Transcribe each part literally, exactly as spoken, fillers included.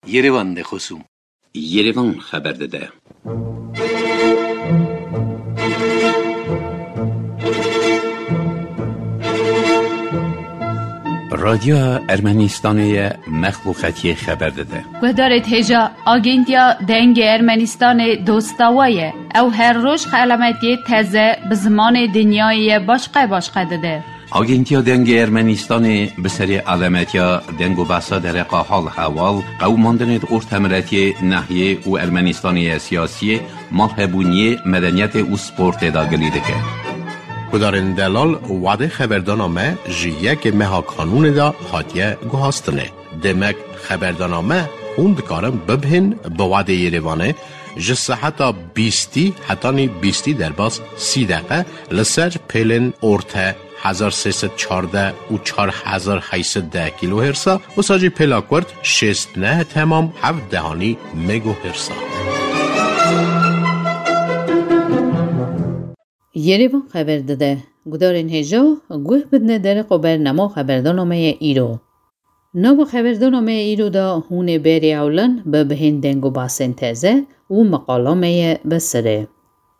Yerevan de xosûm. Yerevan xeber dide. Radyoya Ermenistanê ye, mexluqetiyê xeber dide. Guhdarê hêja, Agentiya Dengê Ermenistanê dosta we ye. Ew her roj xelametiyê teze bi zimanê dinyayê ye başqe başqe dide. Agentiya Dengê Ermenistanê bi serê alemetiya deng û behsa dereqa hal hewal, qewimandinê di ortemiretiyê, nehiyê û Ermenistanê ye siyasiyê, malhebûniyê, medeniyetê û sportê de gilî dike. Gudarên delal, wadê xeberdana me ji yekê meha kanûnê de hatiye guhastinê. Demek xeberdana me hûn dikarin bibihên bi wadê Yerevanê ji seheta bîstî hetanî bîstî derbas sî deqe li ser pêlên orte hezar sê sed çardeh û çar hezar heyt sed deh kîlohêrsa, wisa jî pêla kurt şêst neh temam heft dehanî megohêrsa. Yerevan xeber dide. Gudarên hêja, guh bidine dereqa bernama xeberdana me ye îro. Nava xeberdana me îro de hûn ê berê ewlan bi bihên deng û basên teze û meqala me ye bi sirê.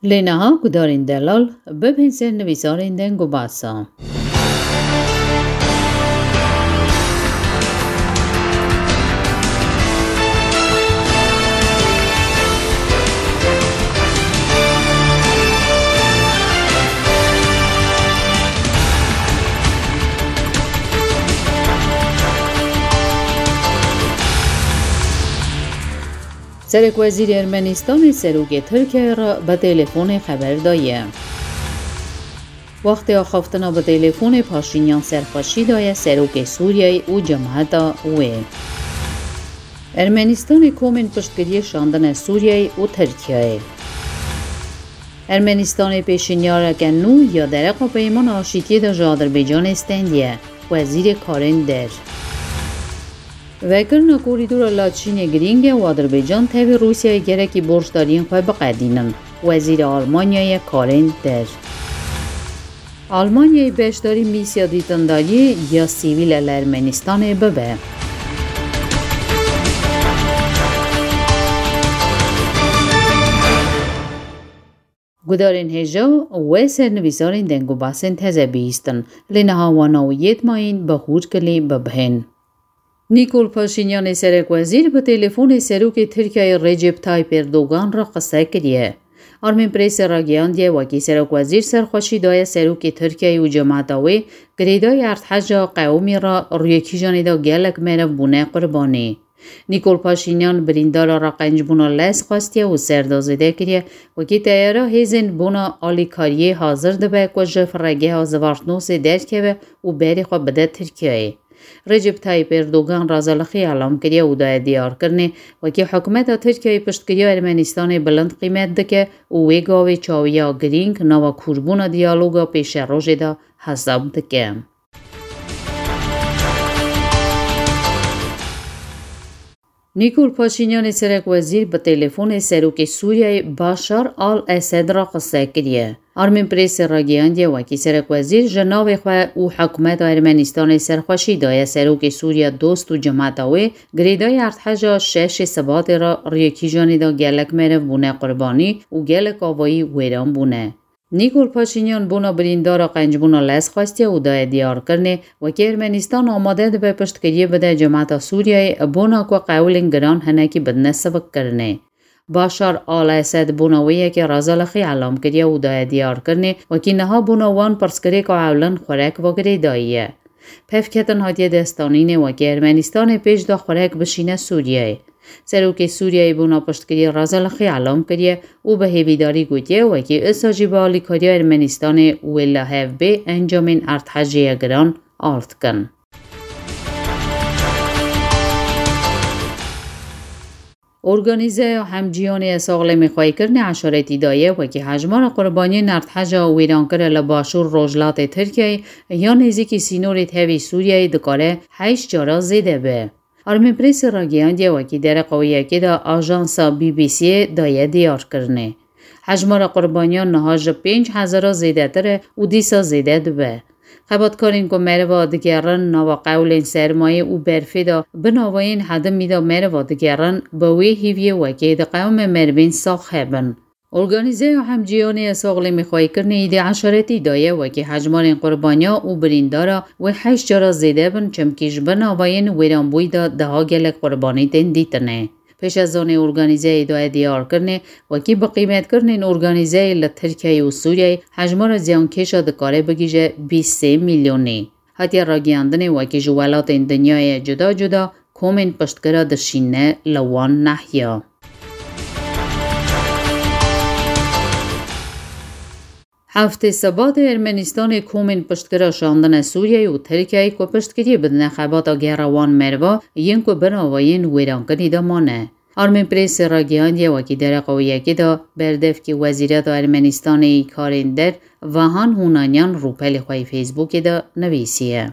Lê niha gudarên delal bibihên sernivîsarên deng û basa. Serekwezîrê Ermenistanê serokê Tirkiyeyê re bi telefonê xeber daye. Wextê axaftina bi telefonê Paşînyan serxweşî daye serokê Sûriyeyê û cemata wê. Ermenistanê komên piştgiriyê şandine Sûriyeyê û Tirkiyeyê. Ermenistanê pêşinyareke nû ya dereqa peymana aşîtiyê de ji Adirbaycanê stendiye, Wezîrê Karên Der. Vekirina korîdora Laçînê girîng e û Adirbaycan tevî Rûsyayê gerekî borcdariyên xwe biqedînin, Wezîrê Almanyayê Karên Der. Almanyayê beşdarî mîsya dîtindariyê ya sivîl li Ermenistanê bibe. Gudarên hêja, we sernivîsarên deng û basên teze bihîstin, lê niha wana û yê dimayîn bi hûrkilî bibihên. Nîkol Paşînyanê serekwezîr bi telefonê serokê Tirkiyeyê Recep Tayyip Erdogan re qise kiriye. Armên Presê ragihandiye, wekî serokwezîr serxweşî daye serokê Tirkiyeyê û cemata wê, girêdayî erdheja qewimî re rûyekîjanê de gelek meriv bûne qurbanî. Nîkol Paşînyan birîndara raqencbûna lez xwestiye û ser de zêde kiriye, wekî teyara hêzên bona alîkariyê hazir dibe ku ji firegeha Zvartnosê derkeve û berê xwe bide Tirkiyeyê. Recep Tayyip Erdogan razalixî elam kiriye û daye diyarkirinê, wekî hikûmeta Tirkiyeyê piştgiriya Ermenistanê bilind qîmet dike û wê gavê çawiya girîng nava kûrbûna diyaloga pêşerojê de hesab dike. Nîkol Paşînyanê serekwezîr bi telefonê serokê Sûriyeyê Başar al-Esed re qise kiriye. Armên Presê ragihandiye, wekî serekwezîr ji navê xwe û hikûmeta Ermenistanê serxweşî daye serokê Sûriya dost û cemata wê, girêdayî erdheja şeşê Sibatê re rûyekîjanê de gelek meriv bûne qurbanî û gelek avayî wêran bûne. Nîkol Paşînyan bona birîndara qencbûna lez xwestiye û daye diyarkirinê, wekî Ermenistan amade dibe piştgiriyê bide cemata Sûriyeyê bona ku qewilên giran hinekî bidine sivikkirinê. Başar al-Esed bona wê yekê razalixî elam kiriye û daye diyarkirinê, wekî niha bona wan pirsgirêka ewlin xurek ve girêdayî ye. Pevketin hatiye destanînê, wekî Ermenistanê pêş de xurek bişîne Sûriyeyê. Serokê Sûriyeyê bona piştgiriyê razalixî elam kiriye û bi hêvîdarî gotiye, wekî usa jî bi alîkariya Ermenistanê wê li hev bê encamên erdhejê ye giran ard kin. Organîzeya Hemcîyanê ya Saxlemî Xweykirinê eşaretî daye, wekî hejmara qurbaniyên erdheja wêrankir li başûr rojhilatê Tirkiyeyê ya nêzîkî sînorê tevî Sûriyeyê dikare heşt cara zêde be. Armên Presê ragihandiye, wekî dereqa wê yekê de ajansa B B C'ê daye diyarkirinê. Hejmara qurbaniyan niha ji pênc hezara zêdetir e û dîsa zêde dibe. Xebatkarên ku meriva digerin nava qewlên sermayê û berfê de bi navayên hedimî de meriva digerin, bi wê hîviyê wekê diqewime merivên sax hebin. Organîzeya Hemcîyanê ya Saxlemîxweyîkirinê îdî eşaretî daye wekî hejmarên qurbaniya û birîndara wê heşt cara zêde bin, çimkî ji bin avayên wêranbûyî de daha gelek qurbanî tên dîtinê. Pêşezanê organîzeyê daye diyarkirinê, wekî bi qîmetkirinên organîzeyê li Tirkiyeyê û Sûriyeyê hejmara ziyankêşa dikare bigihîje bîst sê milyonî. Hatiye ragihandinê wekî ji welatên dinyayê cuda cuda komên piştgira dişîne li wan nehiya. Heftê Sebatê Ermenistanê komên piştgira şandine Sûriyeyê û Tirkiyeyê ku piştgiriyê bidine xebata gera wan meriva yên ku binavayên wêrankirî de mane. Armên Prêsê ragihandiye wekî dereqa wê yekê de berdevkê Wezîreta Ermenistanê yî karên der Vahan Hunanyan rûpelê xwe yê Facebookê de nivîsiye.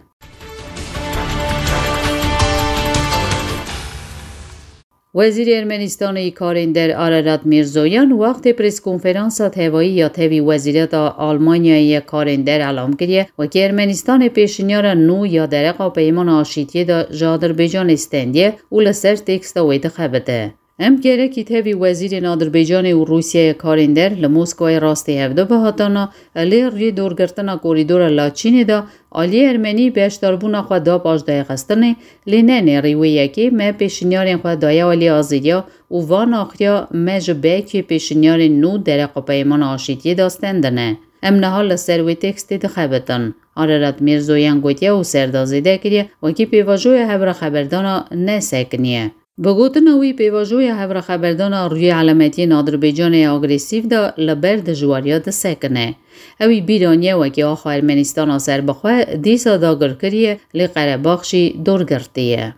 Wezîrê Ermenistanê yî karên der Ararat Mirzoyan wextê preskonferansa tevayî ya tevî Wezîreta Almanyayê yê karên der elam kiriye, wekî Ermenistanê pêşinyara nû ya dereqa peymana aşîtiyê de ji Adirbaycanê stendiye û li ser têksta wê dixebite. Em gerekî tevî wezîrên Adirbaycanê û Rûsyayê karên der li Moskawayê rastî hevdu bihatana, lê rûyê dorgirtina korîdora Laçînê de aliyê Ermenî beşdarbûna xwe da paşdayxistinê, lê ne nêrî wê yekê me pêşinyarên xwe daye aliyê Azeriya û van axiriya me ji bekê pêşinyarên nû dereqa peymana aşîtiyê de stendine. Em niha li ser wê tekstê dixebitin. Ararat Mirzoyan gotiye û ser de zêde kiriye, wekî pêvajoya hevra xeberdana nesekiniye. Bi gotina wî, pêvajoya hevra xeberdana rûyê elametiyên Adirbaycanê ya agresîf de li ber dijwariya disekine. Ew î bîr aniye wekî axa Ermenistana serbixwe dîsa dagir kiriye, lê Qerebax jî dorgirtî ye.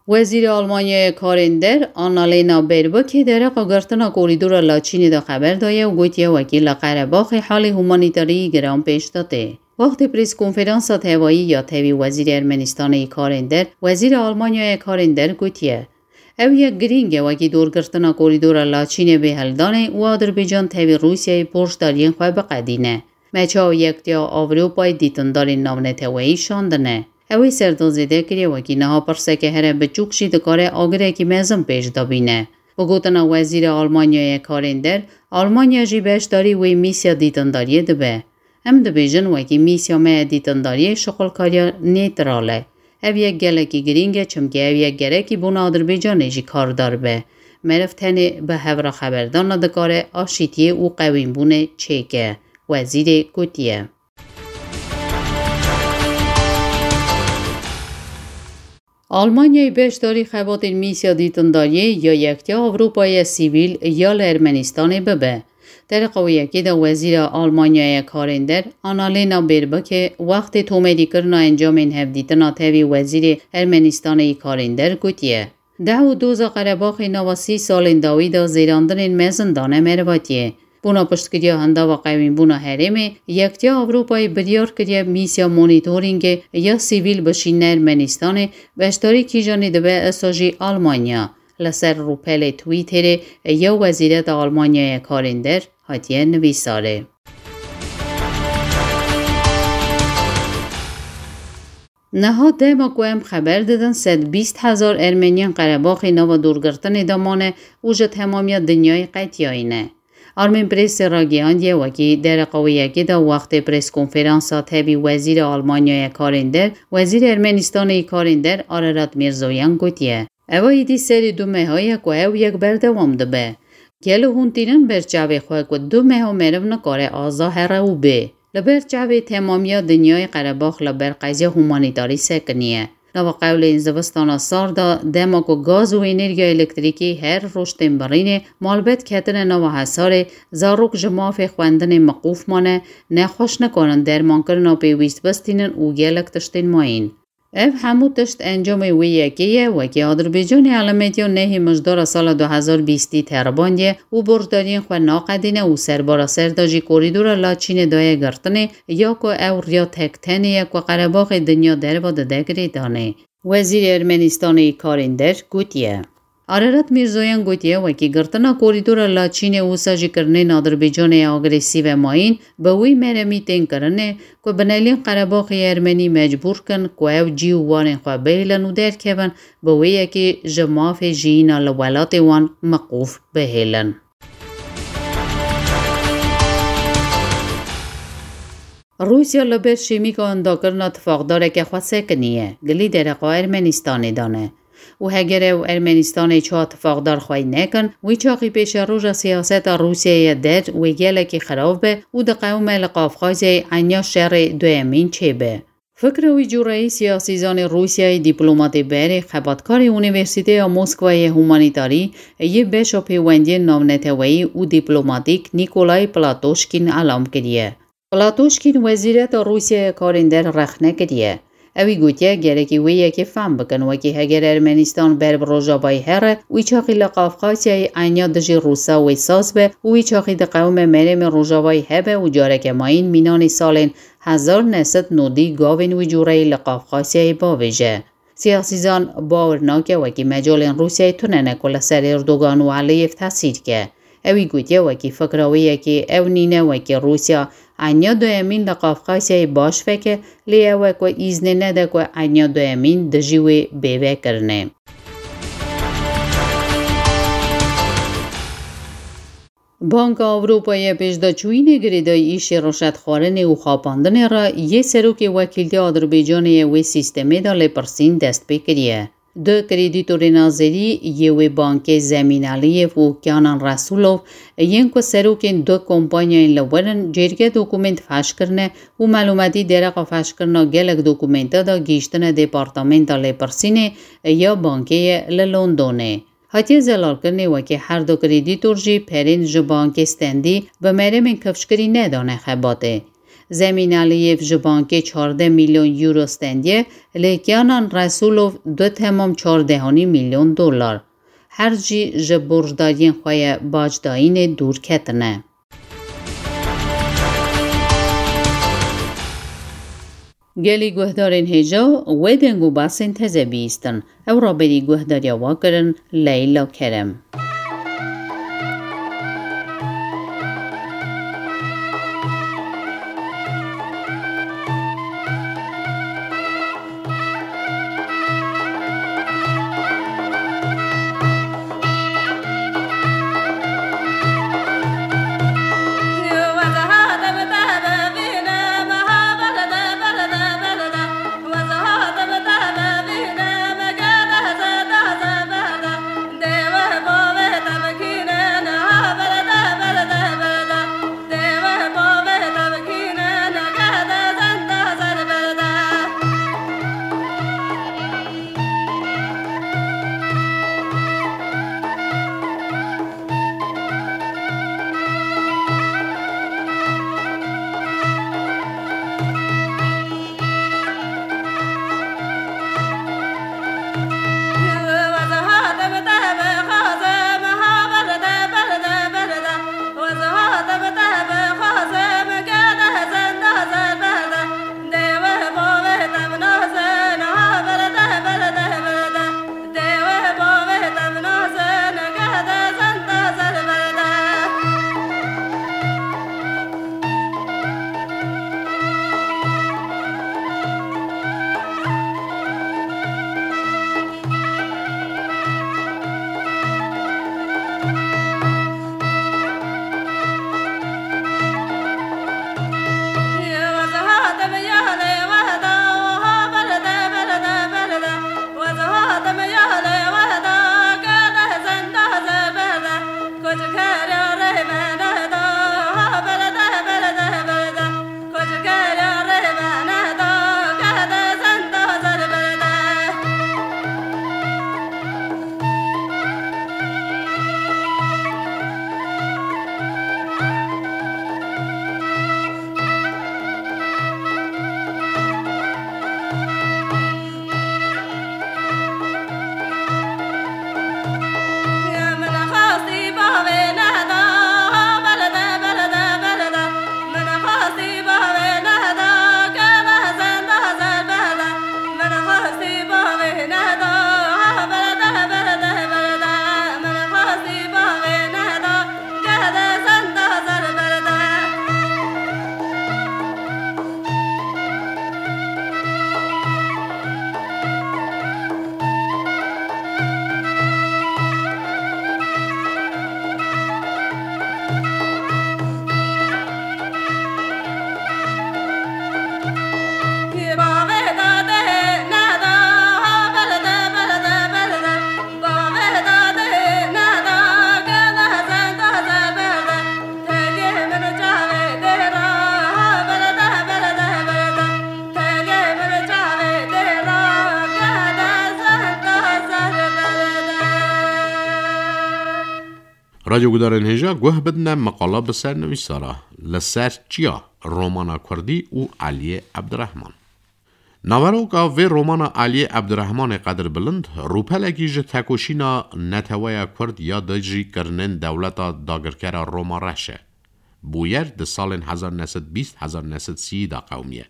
Wezîrê Almanyayê karên der Annalena Baerbockê dereqa girtina korîdora Laçînê de xeber daye û gotiye wekî li Qerebaxê halê humanîtarî giran pêş de tê. Wextê preskonferansa tevayî ya tevî Wezîrê Ermenistanê yî karên der, Wezîrê Almanyayê karên der gotiye, ew yek girîng e wekî dorgirtina korîdora Laçînê bê hildanê û Adirbaycan tevî Rûsyayê borcdariyên xwe biqedîne. Me çawa yektiya Ewropayê dîtindarên navneteweyî şandine? Ew ê ser de zêde kiriye, wekî niha pirseke here biçûk jî dikare agirekî mezin pêş de bîne. Bi gotina Wezîrê Almanyayê karên der, Almanya jî beşdarî wê mîsya dîtindariyê dibe. Em dibêjin wekî mîsya me ya dîtindariyê şixulkariya nêtral e. Ev yek gelekî girîng e, çimkî ev yek gerekî bona Adirbaycanê jî kardar be. Meriv tenê bi hevra xeberdana dikare aşîtiyê û qewînbûnê çêke, wezîrê gotiye. Almanyayê beşdarî xebatên mîsya dîtindariyê ya Yektiya Ewropayê sivîl ya li Ermenistanê bibe. Dereqa wê yekê de Wezîra Almanyayê karên der, Annalena Baerbockê, wextê tomerîkirina encamên hevdîtina tevî Wezîrê Ermenistanê yî karên der gotiye, deh û doza Qerebaxê nava sî salên dawî de zêrandinên mezin dane merivatiyê. Bona piştgiriya hindava qewînbûna herêmê, Yektiya Ewropayê biryar kiriye mîsya monîtoringê ya sivîl bişîne Ermenistanê, beşdarî kîjanê dibe, esa jî Almanya. Li ser rûpelê Twitterê ya Wezîreta Almanyayê karên der hatiye nivîsarê. Niha dema ku em xeber didin, sed bîst hezar Ermeniyên Qerebaxê nava dorgirtinê de mane û ji temamiya dinyayê qetiyayî ne. Armên Prêsê ragihandiye, wekî dereqa wê yekê de wextê preskonferansa tevî Wezîrê Almanyayê karên der, Wezîrê Ermenistanê yî karên der Ararat Mirzoyan gotiye, ev a êdî serê du meha ye ku ew yek berdewam dibe. Gelo hûn tînin ber çavê xwe ku du meha meriv nikare aza here û bê? Li ber çavê temamiya dinyayê Qerebax li ber qeziya humanîtarî sekiniye. Nava qewlên zivistana sar de, dema ku gaz û enerjiya elektrîkî her roj tên birînê, malbet ketine nava hesarê, zarok ji mafê xwendinê miqûf mane, nexweş nikarin dermankirina pêwîst bistînin û gelek tiştên mayîn. Ev hemû tişt encamê wê yekê ye, wekî Adirbaycanê elametiya nehê mijdara sala du hezar bîstî teribandiye û borcdariyên xwe naqedîne û serbara ser de jî korîdora Laçînê daye girtinê, ya ku ew riya tek tenê ye ku Qerebaxê dinya derva dide girêdanê. Wezîrê Ermenistanê yî karên der gotiye, Ararat Mîrzoyan gotiye, wekî girtina korîdora Laçînê û sajikirinên Adirbaycanê agresîve mayîn, bi wî meremî tên kirinê ku binelîn Qerebaxê Ermenî mecbûr kin ku ew cî û warên xwe bihêlin û derkevin, bi wê yekê ji mafê jiyîna li welatê wan miqûf bihêlin. Rûsya li ber şêmîka wendakirina tifaqdareke xwe sekiniye, gilî dereqa Ermenîstanê dane. Û heger ew Ermenîstanê çawa tifaqdar xwey nekin, wî çaxî pêşeroja siyaseta Rûsyayê der wê gelekî xirab be û diqewime li Qafqazyayê enya şerê duyemîn çêbe. Fikra wî cûreyî siyasîzanê Rûsyayê, dîplomatê berê, xebatkarê Unîversîteya Moskwayê humanîtarî yê beşa pêwendiyên navneteweyî û dîplomatîk Nîkolay Platoşkîn elam kiriye. Platoşkîn wezîreta Rûsyayê karên der rexne kiriye. Ewî gotiye, gerekî wê yekê fehm bikin, wekî heger Ermenîstan ber bi Rojavayî here, wî çaxî li Qafqasyayê enya dijî Rûsa wê saz be û wî çaxî diqewime merêmên Rojavayî hebe û careke mayîn mînanî salên hezar neh sed nodî gavên wî cûreyî li Qafqasyayê bavêje. Siyasîzan bawer nake wekî mecalên Rûsyayê tune ne ku li ser Erdogan û Aliyev tesîr ke. Ewî gotiye, wekî fikra wê yekê ew nîne wekî Rûsya enya duyemîn li Qafqasyayê baş veke, lê ew e ku îznê nede ku enya duyemîn dijî wê bê vekirinê. Banka Ewropayê pêşdaçûyînê girêdayî îşê rişwetxwarinê û xapandinê re yê serokê wekîltiya Adirbaycanê yê wê sîstemê de lêpirsîn dest pê kiriye. Du kreditorên azerî yê wê bankê Zemîn Aliyev û Kenan Resulov yên ku serokên du kompanyayên li wir in, cêrgê dokument feş kirine û melûmetî dereqa feşkirina gelek dokumenta de gihîştine Departamenta Lêpirsînê ya bankê ye li Londonê. Hatiye zelalkirinê wekî her du kreditor jî perên ji bankê stendî bi merêmên kifşkirî nedane xebatê. Zemîn Aliyev ji bankê çardeh milyon euro stendiye, lê Kenan Resulov du temam çardehanî milyon dolar. Her jî ji borcdariyên xwe ye bacdayînê dûr ketine. Gelî guhdarên hêja wê deng û basên teze bihîstin. Ew raberî guhdariya we kirin Leyla Kerem. Radyo gudarên hêja guh bidine meqala bi sernivîsara Li ser çiya, romana kurdî û Eliyê Ebdirehman. Naveroka vê romana Eliyê Ebdirehmanê qedirbilind, rûpelekî ji tekoşîna neteweya kurd ya dijî kirinên dewleta dagirkera Roma reş e. Bûyer di salên hezar neh sed bîst hezar neh sed sî de qewimiye.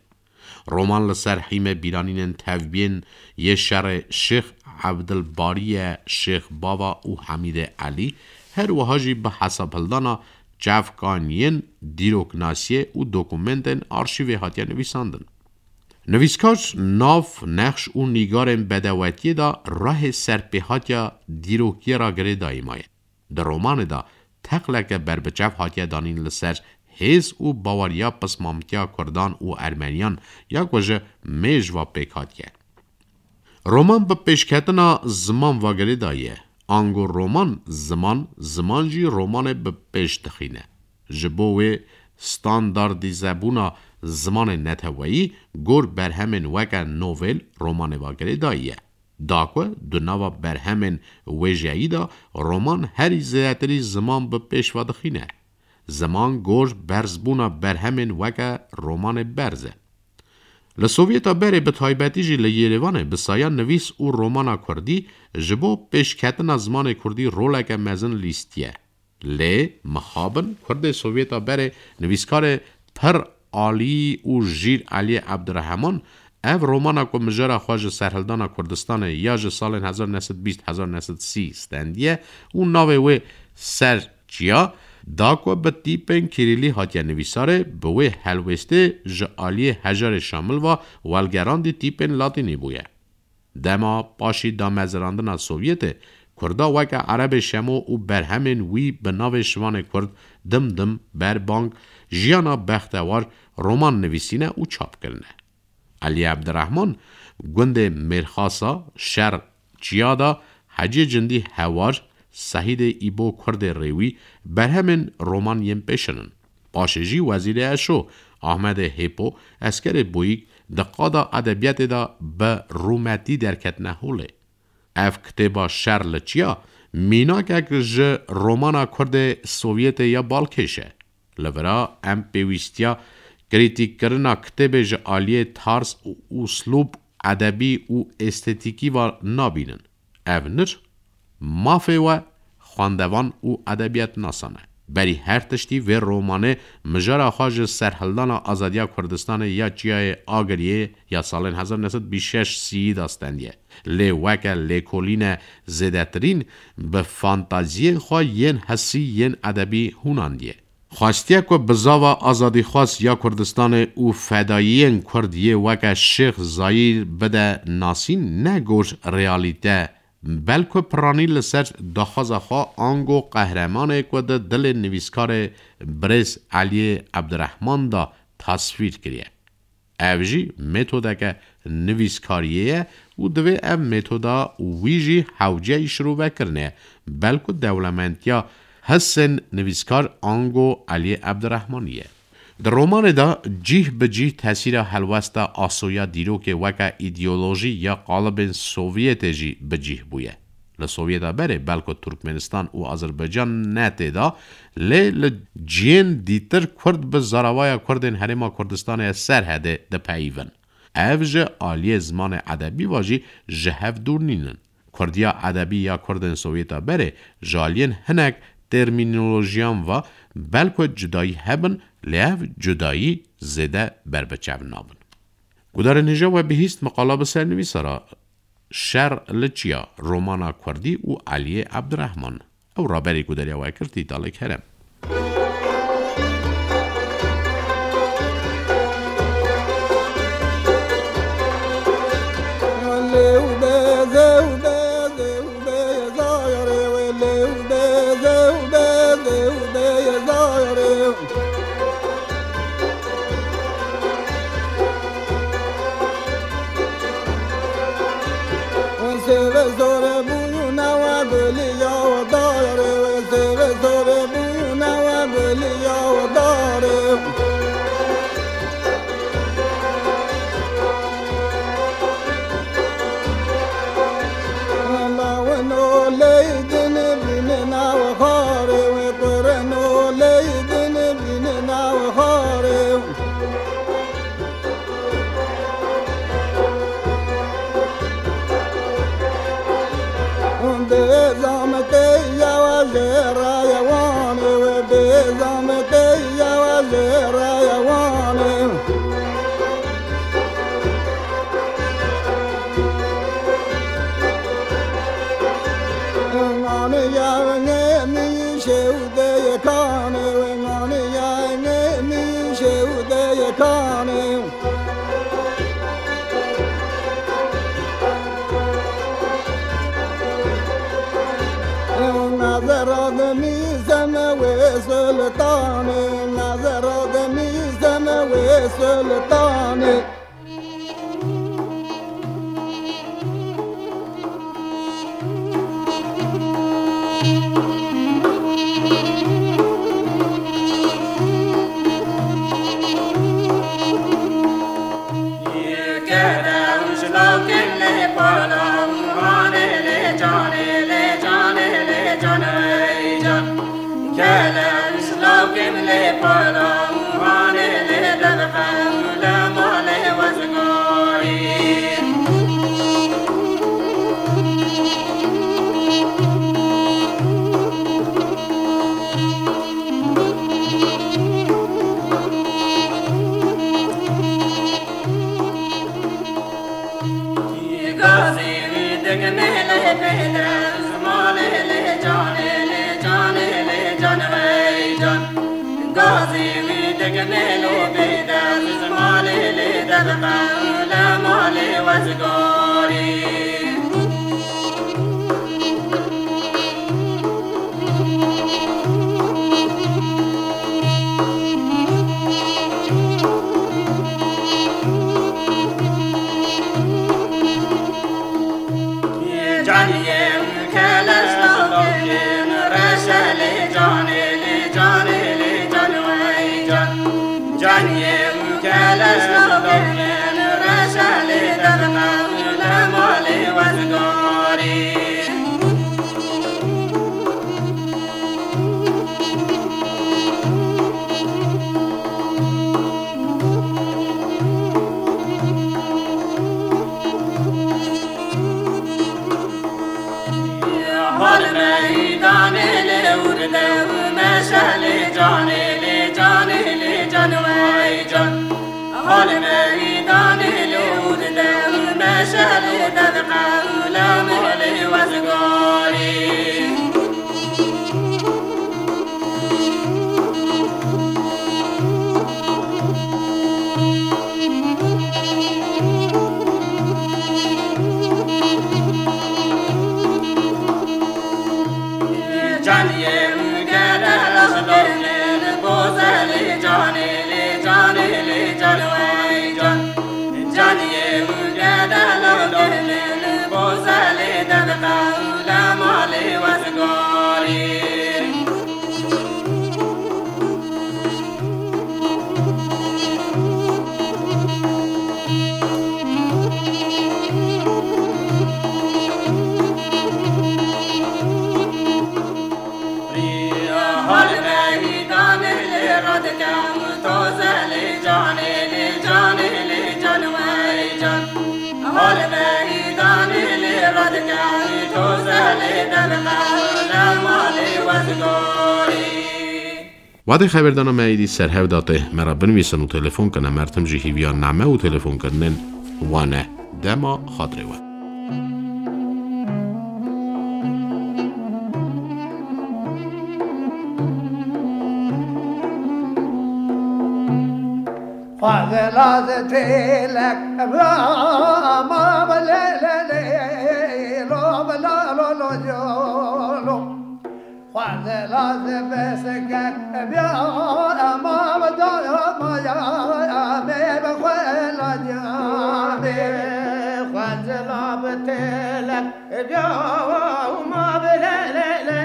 Roman li ser hîmê bîranînên tevbiyên yê şerê Şêx Evdilbariye, Şêx Bava û Hemîdê Elî, her wiha jî bi hesabhildana çavkaniyên dîroknasiyê û dokumentên arşîvê hatiye nivîsandin. Nivîskar nav, nexş û nîgarên bedewetiyê de rehê serpêhatiya dîrokiyê re girêdayî maye. Di romanê de teqleke berbiçav hatiye danîn li ser hêz û baweriya pismamtiya kurdan û ermeniyan ya ku ji mêj ve pêk hatiye. Roman bi pêşketina ziman ve girêdayî ye. Ango roman ziman, ziman jî romanê bi pêş dixîne. Ji bo wê standardîzebûna zimanê neteweyî gor berhemên weke novêl romanê ve girêdayî ye. Da ku di nava berhemên wêjeyî de roman herî zêdetirî ziman bi pêş ve dixîne. Ziman gor berzbûna berhemên weke romanê berz e. Li Sovyeta berê bi taybetî jî li Yêrêvanê bi saya nivîs û romana kurdî ji bo pêşketina zimanê kurdî roleke mezin lîstiye. Lê mixabin kurdê Sovyeta berê nivîskarê pir alî û jîr Eliyê Ebdirehman ev romana ku mijara xwe ji serhildana Kurdistanê ya ji salên hezar neh sed bîst hezar neh sed sî stendiye û navê wê ser çiya da ku bi tîpên kîrîlî hatiye nivîsarê, bi wê helwêstê ji aliyê hejarê şamil ve welgerandî tîpên latînî bûye. Dema paşî damezirandina Sovyetê, Kurda weke Erebê Şemo û berhemên wî bi navê Şivanê Kurd, Dimdim, Berbang, Jiyana Bextewar roman nivîsîne û çap kirine. Elî Ebdirehman gundê Mêrxasa, Şer, Çiyada, Hecê Cindî Hewar, Sehîdê Îbo Kurdê Rêwî berhemên roman yên pêşin in. Paşê jî Wezîrê Eşo, Ahmedê Hêpo, Eskerê Boyîk di qada edebiyatê de bi rûmetî derketine holê. Ev kitêba Şer li Çiya mînakek ji romana Kurdê Sovyetê ya balkêş e. Li vira em pêwîstiya krîtîkkirina kitêbê ji aliyê tarz û uslûb edebî û estetîkî ve nabînin. Ev nir mafê we xwendevan û edebiyatnasan e. Berî her tiştî vê romanê mijara xwe ji serhildana azadiya Kurdistanê ya Çiyayê Agiriyê ya salên hezar neh sed bîst şeş sî de stendiye. Lê weke lêkolîne zêdetirîn bi fantaziyên xwe yên hisî yên edebî hûnandiye. Xwestiye ku bizava azadîxwaz ya Kurdistanê û fedayiyên Kurd yê weke Şêx Zayîr bide nasîn, ne gor realîte, belku piranî li ser daxwaza xwe ango qehremanê ku di dilê nivîskarê birêz Eliyê Ebdirehman de tasvîr kiriye. Ev jî metodeke nivîskariyê ye û divê ev metoda wî jî hewceyî şirovekirinê ye, belku dewlementiya hisên nivîskar ango Eliyê Ebdirehmanî ye. Di romanê de cîh bi cîh tesîra helwesta asoya dîrokê weke îdeolojî ya qalibên Sovyetê jî bi cîh bûye. Li Sovyeta berê belku Turkmenistan û Azerbaycan ne tê de, lê li cihên dîtir Kurd bi zaravaya Kurdên Herêma Kurdistanê Serhedê dipeyivin. Ev ji aliyê zimanê edebî ve jî ji hev dûr nînin. Kurdiya edebî ya Kurdên Sovyeta berê ji aliyên hinek termînolojiyan ve belku cudayî hebin, lê ev cudayî zêde berbiçav nabin. Gudarên hêja we bihîst meqala bi sernivîsara Şer li Çiya, romana Kurdî û Eliyê Ebdirehman. Ew raberî ku deriya we kir, Tîtalê Kerem. Seve zore bûna we biliya we dare, seve zore bûna we biliya we dare. Laweno leydin bîne na we xare. Kanê. Nazera de mîzeme wê sultanê, nazera de mîzeme wê sultanê. Wadê xeberdana me êdî ser hev de tê. Me re binivîsin û telefon kin, em her tim jî hîviya name û telefonkirinên wan e. Dema xatirê we. Xwezela ze têlek rama bi lê lê lê lo bi la lo lo lo lo. Xwezela ze besike bia ma bi da ma ya me bi xwe la ya me. Xwezela bi têlek bia ma bi lê lê lê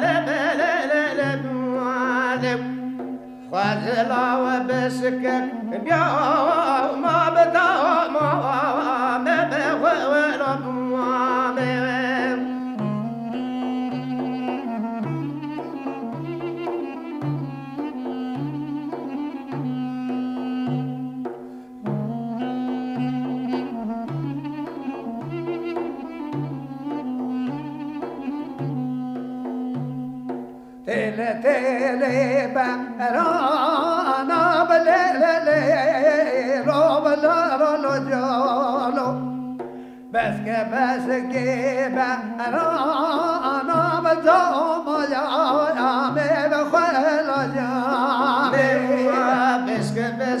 lê bi lê lê lê lê. Xwezila we bisikek bia ma bi da ma me bi xwe la ma me. Têle têle berana bi lê lê lê lo bi la lo lo calo. Beske beske berana bi camaya me bi xwe la came. Beske beske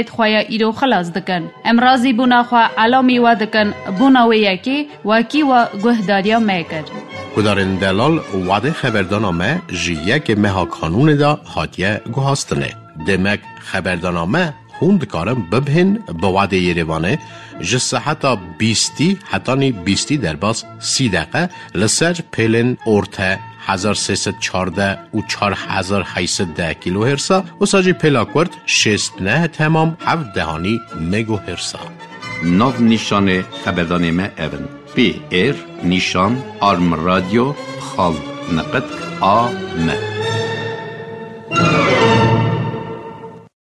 xeberdanê di xwe ya îro xilas dikin. Em razîbûna xwe elamî we dikin, bona wê yekê wekî we guhdariya me kir. Guhdarên delal, wadê xeberdana me ji yekê meha Kanûnê de hatiye guhastinê. Demek xeberdana me hûn dikarin bibihên bi wadê Yerêvanê ji seheta bîstî hetanî bîstî derbas sî deqe li ser pêlên orte hezar sê sed çardeh û çar hezar heyt sed deh kîlohêrsa, wisa jî pêla kurt şêst neh temam heft dehanî megohêrsa. Nav nîşanê xeberdanê me ev in: P R nîşan arm radio xal niqit a m.